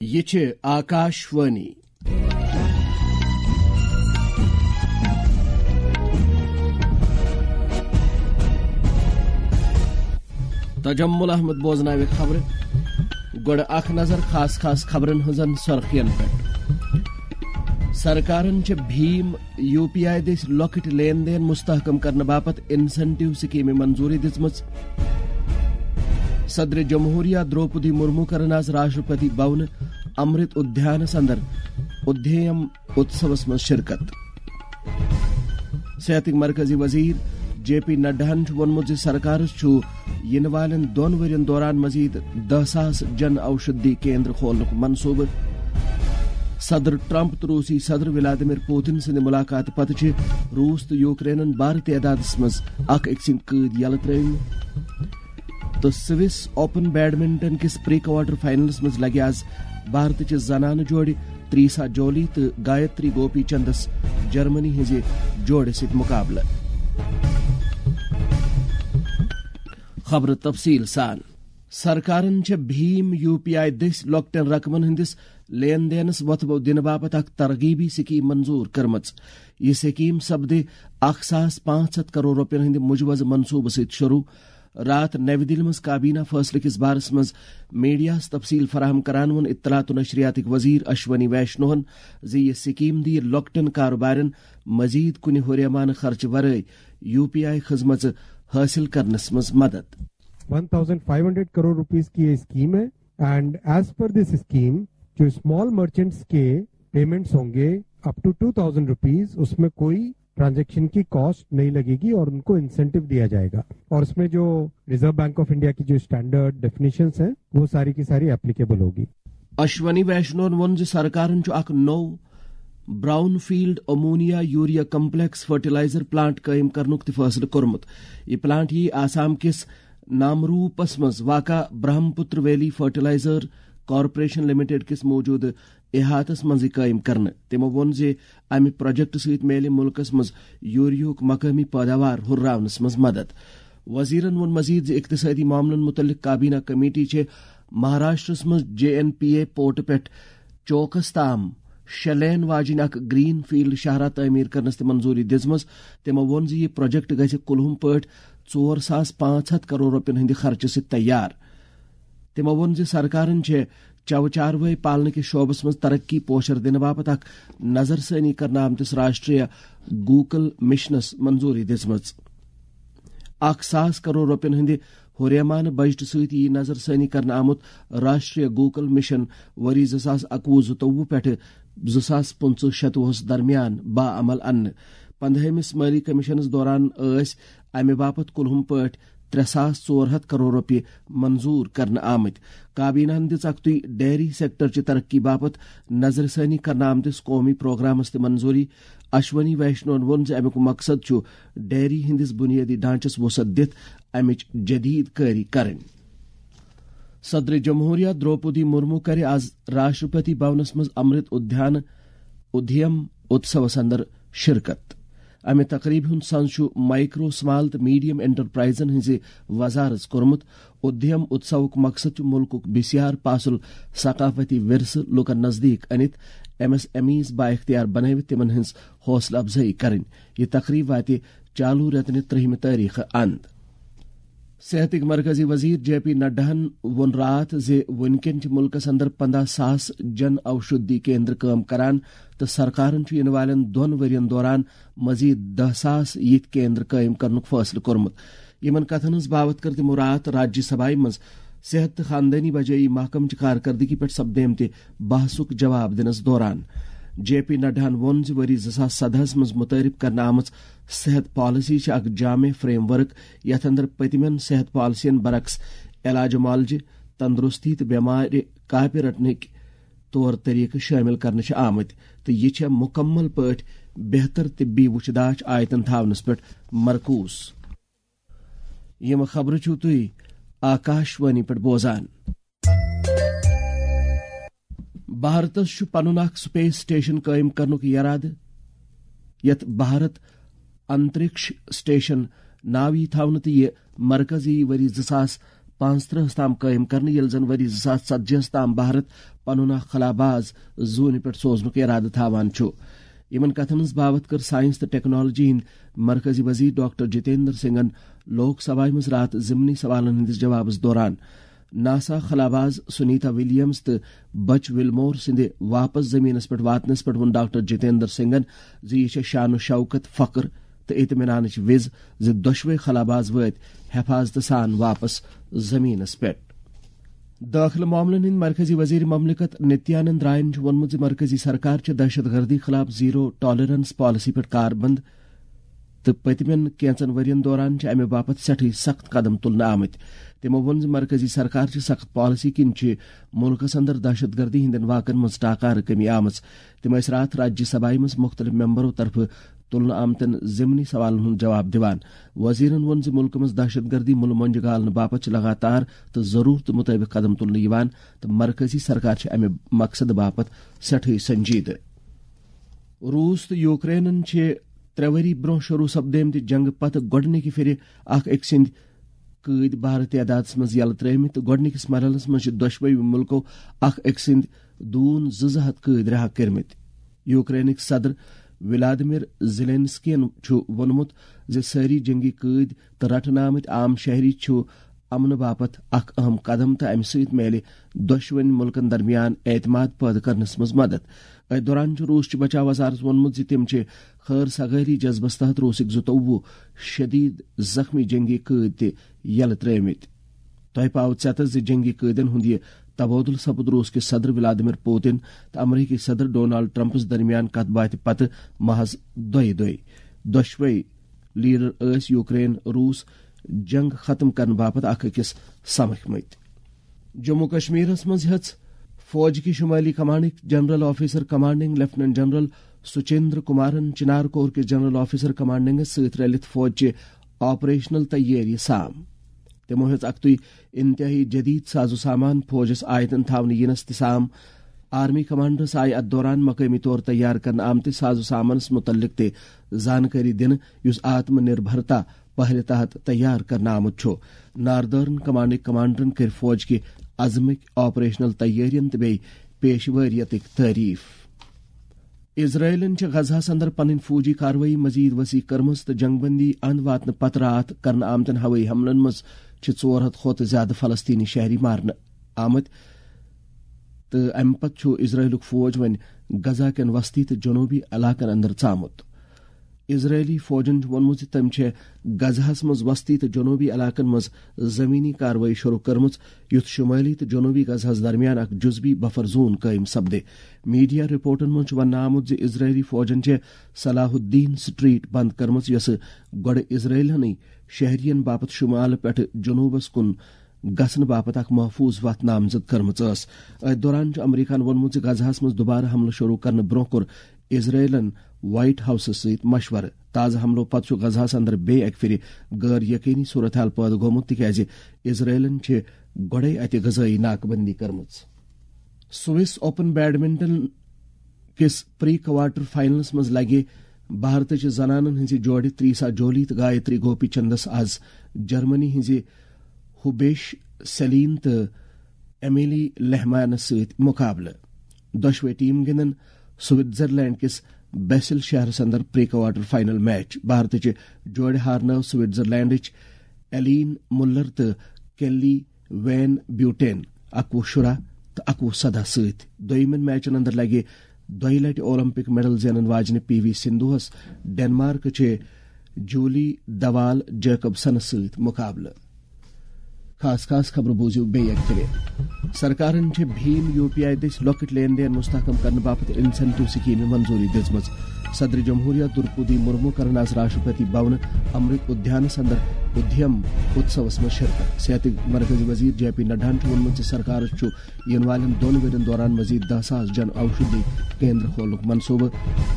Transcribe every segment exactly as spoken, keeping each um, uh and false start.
یہِ چھِ آکاش وانی۔ تجمل احمد بوزناوِ خبرٕ۔ گۄڈٕ اکھ نظر خاص خاص خبرن ہٕنٛزن سرخین پٮ۪ٹھ۔ سرکارن چھِ بھیم یو پی آئی دٔسۍ لۄکٕٹۍ لین دین مستحکم کرنہٕ باپتھ انسینٹیو سکیمہِ منظوٗری دِژمٕژ۔ صدر جمہوریہ درٛوپدی مرمو کٔرٕن آز راشٹرپتی بھونہٕ امرت ادھیانس اندر ادھیم اتسوس منٛز شرکت۔ صحتٕکۍ مرکزی وزیر جے پی نڈاہن چھُ ووٚنمُت زِ سرکارس چھُ یِنہٕ والٮ۪ن دۄن ؤرین دوران مزید دَہ ساس جن اوشدھی کیندر کھولنُک منصوبہٕ۔ صدر ٹرمپ تہٕ روسی صدر ولادیمیر پوتن سٕنٛدِ ملاقاتہٕ پتہٕ چھِ روس تہٕ یوکرینن بارٕ تعدادس منٛز اکھ أکۍ سٕنٛدۍ قٲدۍ یلہٕ ترٲومٕتۍ۔ تہٕ سوِس اوپن بیڈمنٹن کِس پری کوارٹر فائنلس منٛز لگہِ آز بھارتٕچہِ زنانہٕ جوڑِ تریسا جولی تہٕ گایتری گوپی چندس جرمنی ہٕنٛزِ جوڑِ سۭتۍ مقابلہٕ۔ خبرٕ تفصیل سان۔ سرکارن چھےٚ بھیم یو پی آئی دٔسۍ لۄکٹٮ۪ن رقمن ہٕنٛدِس لین دینس وۄتھٕ بو دِنہٕ باپتھ اکھ ترغیبی سکیٖم منظوٗر کٔرمٕژ۔ یہِ سکیٖم سپدِ اکھ ساس پانٛژھ ہتھ کرور رۄپین ہٕنٛدِ مُجوزٕ منصوٗبہٕ سۭتۍ شروٗع۔ راتھ نَوِ دِلہِ منٛز کابینہ فٲصلہٕ کِس بارس منٛز میڈیاہَس تفصیٖل فراہم کران ووٚن اطلاعات و نشریاتٕکۍ وزیر اشونی ویشنوہن زِ یہِ سکیٖم دِیہِ لۄکٹٮ۪ن کاروبارن مزید کُنہِ ہُریمانہٕ خرچہٕ ورٲے یو پی آئی خدمژٕ حٲصِل کرنس منٛز مدد۔ One thousand five hundred crore rupees کی یہ اسکیم ہے، and as per this scheme جو اسمال مرچنٹس کے پیمنٹس ہوں گے up to two thousand rupees, اس میں کوئی ٹرانزیکشن کی کاسٹ نہیں لگے گی اور ان کو انسینٹیو دیا جائے گا، اور اس میں جو ریزرو بینک آف انڈیا کی جو اسٹینڈرڈ ڈیفینیشنز ہیں، وہ ساری کی ساری اپلیکیبل ہوگی۔ اشونی ویشنون ووٚن زِ سرکارن چھُ اکھ نوٚو brownfield ammonia urea complex fertiliser plant قائم کرنُک تہِ فٲصلہٕ کوٚرمُت۔ یہِ پلانٹ یِیہِ آسام کِس نامروٗپس منٛز واقع Brahmaputra valley fertiliser corporation limited کِس موجودٕ احاطس منٛزٕے قٲیِم کرنہٕ۔ تِمو ووٚن زِ امہِ پروجیکٹ سۭتۍ میلہِ مُلکس منٛز یوریاہُک مقٲمی پٲداوار ہُرراونس منٛز مدد۔ وزیرن ووٚن مزید زِ اقتصٲدی معاملن مُتعلق کابینہ کمیٹی چھِ مہاراشٹرس منٛز J N P A port پٮ۪ٹھ چوکس تام شےٚ لین واجیٚنۍ اکھ گرین فیلڈ شاہراہ تعمیٖر کرنس تہِ منظوٗری دِژمٕژ۔ تِمو ووٚن زِ یہِ پروجیکٹ گژھِ کُلہُم پٲٹھۍ ژور ساس پانٛژھ ہتھ کرور رۄپین ہٕنٛدِ خرچہٕ سۭتۍ تیار۔ تِمو ووٚن زِ سرکارن چھےٚ چوٕ چاروٲے پالنہٕ کِس شعبس منٛز ترقی پوشر دِنہٕ باپتھ اکھ نظر ثٲنی کرنہٕ آمتِس راشٹریہ گوکل مشنس منظوٗری دِژمٕژ۔ اکھ ساس کرور رۄپین ہٕنٛدِ ہُریمانہٕ بجٹہٕ سۭتۍ یِیہِ نظر ثٲنی کرنہٕ آمُت راشٹریہ گوکل مشن ؤری زٕ ساس اَکوُہ زٕتووُہ پٮ۪ٹھٕ زٕ ساس پٕنٛژٕہ شَتوُہس درمیان باعمل اننہٕ۔ پندہٲمِس مٲلی کمیشنس دوران ٲسۍ امہِ باپتھ کُلہُم پٲٹھۍ ترٛےٚ ساس ژور ہتھ کرور رۄپیہِ منظوٗر کرنہٕ آمٕتۍ۔ کابینہن دِژ اکتُے ڈیری سیکٹر چہِ ترقی باپتھ نظر ثٲنی کرنہٕ آمتِس قومی پروگرامس تہِ منظوٗری۔ اشونی ویشنون ووٚن زِ امیُک مقصد چھُ ڈیری ہٕنٛدِس بُنیٲدی ڈھانچس وسعت دِتھ امِچ جدید کٲری کرٕنۍ۔ صدر جمہوریہ درٛوپدی مرمو کرِ آز راشٹرپتی بھونس منٛز امرت ادھیان ادھیم اتسوس اندر شرکت۔ امہِ تقریبہِ ہُنٛد سنز چھُ مائیکرو، سمال تہٕ میڈیم انٹرپرائزن ہٕنٛزِ وزارژ کوٚرمُت۔ ادھیم اتسوُک مقصد چھُ مُلکُک بسیار پاسُل ثقافتی ورثہٕ لوٗکن نزدیٖک أنِتھ، ایم ایس ایم ایز بااختیار بنٲوِتھ تِمن ہٕنٛز حوصلہٕ افزٲیی کرٕنۍ۔ یہِ تقریب واتہِ چالو رٮ۪تہٕ نہِ ترٛہمہِ تٲریخہٕ اند۔ صحتٕکۍ مرکزی وزیر جے پی نڈاہن ووٚن راتھ زِ وُنکٮ۪ن چھِ مُلکس اندر پنداہ ساس جن اوشدھی کیندر کٲم کران تہٕ سرکارن چھُ یِنہٕ والٮ۪ن دۄن ؤرین دوران مزید دَہ ساس یِتھۍ کیندر قٲیِم کرنُک فٲصلہٕ کوٚرمُت۔ یِمن کتھن ہٕنٛز باوتھ کٔر تِمو راتھ راجیہ سبھایہ منٛز صحت تہٕ خاندٲنی بجٲیی محکمہٕ چہِ کارکردگی پٮ۪ٹھ سپدیمتہِ بحثُک جواب دِنس دوران۔ جے پی نڈاہن ووٚن زِ ؤری زٕ ساس سدہَس منٛز متعارف کرنہٕ آمٕژ صحت پالیسی چھِ اکھ جامع فریم ورک، یتھ اندر پٔتمٮ۪ن صحت پالیسین برعکس علاج معالجہِ، تندرستی تہٕ بٮ۪مارِ کاپہِ رٹنٕکۍ طور طریقہٕ شٲمِل کرنہٕ چھِ آمٕتۍ، تہٕ یہِ چھےٚ مُکمل پٲٹھۍ بہتر طبی وُچھداچھ آیتن تھاونس پٮ۪ٹھ مرکوز۔ یِم خبرٕ چھِو تُہۍ آکاش وانی پٮ۪ٹھ بوزان۔ بھارتس چھُ پنُن اکھ سپیس سٹیشن قٲیِم کرنُک یرادٕ، یتھ بھارت انترکش سٹیشن ناو یی تھاونہٕ، تہٕ یہِ مرکز یی ؤری زٕ ساس پانٛژترٕہس تام قٲیِم کرنہٕ، ییٚلہِ زن ؤری زٕ ساس ژتجی ہس تام بھارت پنُن اکھ خلاباز زوٗنہِ پٮ۪ٹھ سوزنُک اِرادٕ تھاوان چھُ۔ یِمن کتھن ہٕنٛز باوتھ کٔر ساینس تہٕ ٹیکنالوجی ہٕنٛدۍ مرکزی وزیر ڈاکٹر جتیندر سنگھن لوک سبھایہ منٛز راتھ ضمنی سوالن ہٕنٛدِس جوابس دوران۔ ناسا خلاباز سنیتا ولیمز تہٕ بچ ولمور سٕنٛدِ واپس زمینس پٮ۪ٹھ واتنس پٮ۪ٹھ ووٚن ڈاکٹر جتیندر سنگھن زِ یہِ چھےٚ شان و شوکت، فخر تہٕ اطمینانٕچ وِز زِ دۄشوے خلاباز وٲتۍ حفاظتہٕ سان واپس زمینس پٮ۪ٹھ۔ دٲخلہٕ معاملن ہٕنٛدۍ مرکزی وزیر مملکت نتیانند راین چھُ ووٚنمُت زِ مرکزی سرکار چھِ دہشت گردی خلاف زیرو ٹالرنس پالیسی پٮ۪ٹھ کاربند تہٕ پٔتمٮ۪ن کینژن ؤرین دوران چھِ امہِ باپتھ سٮ۪ٹھٕے سخت قدم تُلنہٕ آمٕتۍ۔ تِمو ووٚن زِ مرکزی سرکار چھِ سخت پالیسی کِنۍ چھِ مُلکس اندر دہشت گردی ہٕنٛدٮ۪ن واقعن منٛز ٹاکارٕ کمی آمٕژ۔ تِم ٲسۍ راتھ راجیہ سبھایہ منٛز مُختٔلِف ممبرو طرفہٕ تُلنہٕ آمتٮ۪ن ضمنی سوالن ہُنٛد جواب دِوان۔ وزیرن ووٚن زِ مُلکہٕ منٛز دہشت گردی مُلہٕ مۄنجہِ گالنہٕ باپتھ چھِ لگاتار تہٕ ضروٗرتہٕ مُطٲبِق قدم تُلنہٕ یِوان تہٕ مرکزی سرکار چھِ امہِ مقصدٕ باپتھ سٮ۪ٹھٕے سنجیدٕ۔ روٗس تہٕ یوکرینن چھِ ترٛےٚ ؤری برٛونٛہہ شروٗع سپدیمتہِ جنگہٕ پتہٕ گۄڈٕنِکہِ پھِرِ اکھ أکۍ سٕنٛدۍ قۭدۍ بارٕ تعدادس منٛز یلہٕ ترٲومٕتۍ تہٕ گۄڈٕنِکِس مرحلس منٛز چھِ دۄشوٕے مُلکو اکھ أکۍ سٕنٛدۍ دوٗن زٕ زٕ ہتھ قۭدۍ رہا کٔرمٕتۍ۔ یوکرینٕکۍ صدر ولادیمیر زیلینسکین چھُ ووٚنمُت زِ سٲری جنگی قۭدۍ تہٕ رٹنہٕ آمٕتۍ عام شہری چھُ امنہٕ باپتھ اکھ اہم قدم تہٕ امہِ سۭتۍ میلہِ دۄشوٕنۍ مُلکن درمیان اعتماد پٲدٕ کرنس منٛز مدد۔ أتھۍ دوران چھُ روٗسچہِ بچاو وزارت ووٚنمُت زِ تِم چھِ خٲر سگٲری جذبس تحت روٗسٕکۍ زٕتووُہ شدید زخمی جنگی قۭدۍ تہِ یلہٕ ترٲومٕتۍ۔ تۄہہِ پاوٕ ژیتس زِ جنگی قٲدٮ۪ن ہُنٛد یہِ تبادلہٕ سپُد روٗس کِس صدر ولادیمیر پوتن تہٕ امریکی صدر ڈونالڈ ٹرمپس درمیان کتھ باتھِ پتہٕ محض دۄیہِ دۄہہِ۔ دۄشوے لیڈر ٲسۍ یوکرین روٗس جنگ ختم کرنہٕ باپتھ اکھ أکِس سمکھمٕتۍ۔ جموں کشمیرس منٛز ہیٚژ فوج کہِ شمٲلی کمانڈٕکۍ general officer commanding lieutenant general Sachindra کمارن چنار کور کِس جنرل آفیسر کمانڈنگس سۭتۍ رلِتھ فوج چہِ آپریشنل تیٲری سام۔ تِمو ہیٚژ اکتُے انتہٲئی جدید ساز و سامان فوجس آیتن تھاونہٕ یِنس تہِ سام۔ آرمی کمانڈرس آیہِ اتھ دوران مقٲمی طور تیار کرنہٕ آمتِس ساز و سامانس مُتعلق تہِ زانکٲری دِنہٕ، یُس آتم نربھرتا پہلہِ تحت تیار کرنہٕ آمُت چھُ۔ ناردرن کمانڈٕکۍ کمانڈرن کٔرۍ فوج کہِ عزمٕکۍ، آپریشنل تیٲرین تہٕ بیٚیہِ پیشوٲریتٕکۍ تعریف۔ اسرائیلن چھِ غزہس اندر پنٕنۍ فوجی کاروٲیی مزید وسیع کٔرمٕژ تہٕ جنگ بندی اند واتنہٕ پتہٕ راتھ کرنہٕ آمتٮ۪ن ہوٲیی حملن منٛز چھِ ژور ہتھ کھۄتہٕ زیادٕ فلسطینی شہری مارنہٕ آمٕتۍ تہٕ امہِ پتہٕ چھُ اسرائیلُک فوج وۄنۍ غزہ کٮ۪ن وسطی تہٕ جنوبی علاقن اندر ژامُت۔ اسرائیلی فوجن چھُ ووٚنمُت زِ تٔمۍ چھےٚ غزہس منٛز وسطی تہٕ جنوبی علاقن منٛز زمینی کاروٲیی شروع کٔرمٕژ، یُتھ شمٲلی تہٕ جنوبی غزہس درمیان اکھ جزوی بفر زون قٲیِم سپدِ۔ میڈیا رپورٹن منٛز چھُ وننہٕ آمُت زِ اسرائیلی فوجن چھےٚ صلاح الدین سٹریٹ بند کٔرمٕژ، یۄسہٕ گۄڈٕ اسرائیلنٕے شہرین باپتھ شمالہٕ پٮ۪ٹھٕ جنوبس کُن گژھنہٕ باپتھ اکھ محفوظ وتھ نامزد کٔرمٕژ ٲس۔ أتھۍ دوران چھُ امریکہن ووٚنمُت زِ غزہس منٛز دُبارٕ حملہٕ شروع کرنہٕ برونٛہہ کوٚر اسرائیلن وائٹ ہاؤسس سۭتۍ مشورٕ۔ تازٕ حملو پتہٕ چھُ غزہس اندر بیٚیہِ اکہِ پھِرِ غٲر یقینی صورتحال پٲدٕ گوٚمُت، تِکیازِ اسرائیلن چھِ گۄڈے اتہِ غذٲیی ناکہٕ بندی کٔرمٕژ۔ سوئس اوپن بیڈمنٹن کِس پری کوارٹر فائنلس منٛز لگہِ بھارتٕچہِ زنانن ہٕنٛزِ جوڑِ تریسا جولی تہٕ گایتری گوپی چندس از جرمنی ہٕنٛزِ ہوبیش سیلین تہٕ ایمیلی لہمانس سۭتۍ مقابلہٕ۔ دۄشوے ٹیم گِنٛدن سوئٹزرلینڈ کِس بیسل شہرس اندر پری کوارٹر فائنل میچ۔ بھارتٕچہِ جوڑِ ہارنٲو سوئٹزرلینڈٕچ ایلین مُلر تہٕ کیلی وین بیوٹین اکوُہ شُراہ تہٕ اکوُہ سداہ سۭتۍ۔ دوٚیمٮ۪ن میچن اندر لگہِ دۄیہِ لٹہِ اولمپک میڈل زینن واجنہِ پی وی سندھوہس ڈنمارک چہِ جولی دوال جیکبسنس سۭتۍ مقابلہٕ۔ خاص خاص خبرٕ بوٗزِو بیٚیہِ اکہِ پھِرِ۔ سرکارن چھِ بھیم یو پی آئی دٔسۍ لۄکٕٹۍ لین دین مستحکم کرنہٕ باپتھ انسینٹیو سکیمہِ منظوٗری دِژمٕژ۔ صدر جمہوریہ درپودی مرمو کرن آز راشٹرپتی بھونہٕ امرت ادھیانس اندر ادھیم اتسوس منٛز شرکت۔ صحتٕکۍ مرکزی وزیر جے پی نڈاہن چھُ ووٚنمُت زِ سرکارس چھُ یِنہٕ والٮ۪ن دۄن ؤرین دوران مزید دَہ ساس جن اوشدھی کیندر کھولنُک منصوبہٕ۔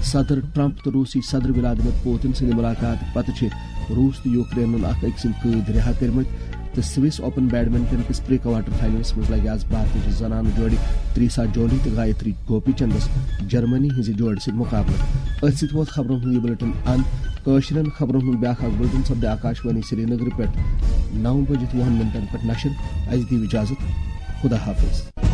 صدر ٹرمپ تہٕ روسی صدر ولادیمیر پوتن سٕنٛدِ ملاقات پتہٕ چھِ روس تہٕ یوکرینن اکھ أکۍ سٕنٛدۍ قۭدۍ رہا کٔرمٕتۍ تہٕ سوئس اوپن بیڈمنٹن کِس پری کوارٹر فائنلس منٛز لگہِ آز بھارتٕچہِ زنانہٕ جوڑِ تریسا جولی تہٕ گایتری گوپی چندس جرمنی ہٕنٛزِ جوڑِ سۭتۍ مقابلہٕ۔ أتھۍ سۭتۍ ووت خبرن ہُنٛد یہِ بلیٹن اند۔ کٲشرٮ۪ن خبرن ہُنٛد بیٛاکھ اکھ بُلٹن سپدِ آکاشوانی سرینگرٕ پٮ۪ٹھ نو بجہِ وُہن منٹن پٮ۪ٹھ نشر۔ اسہِ دِیِو اجازت۔ خدا حافظ۔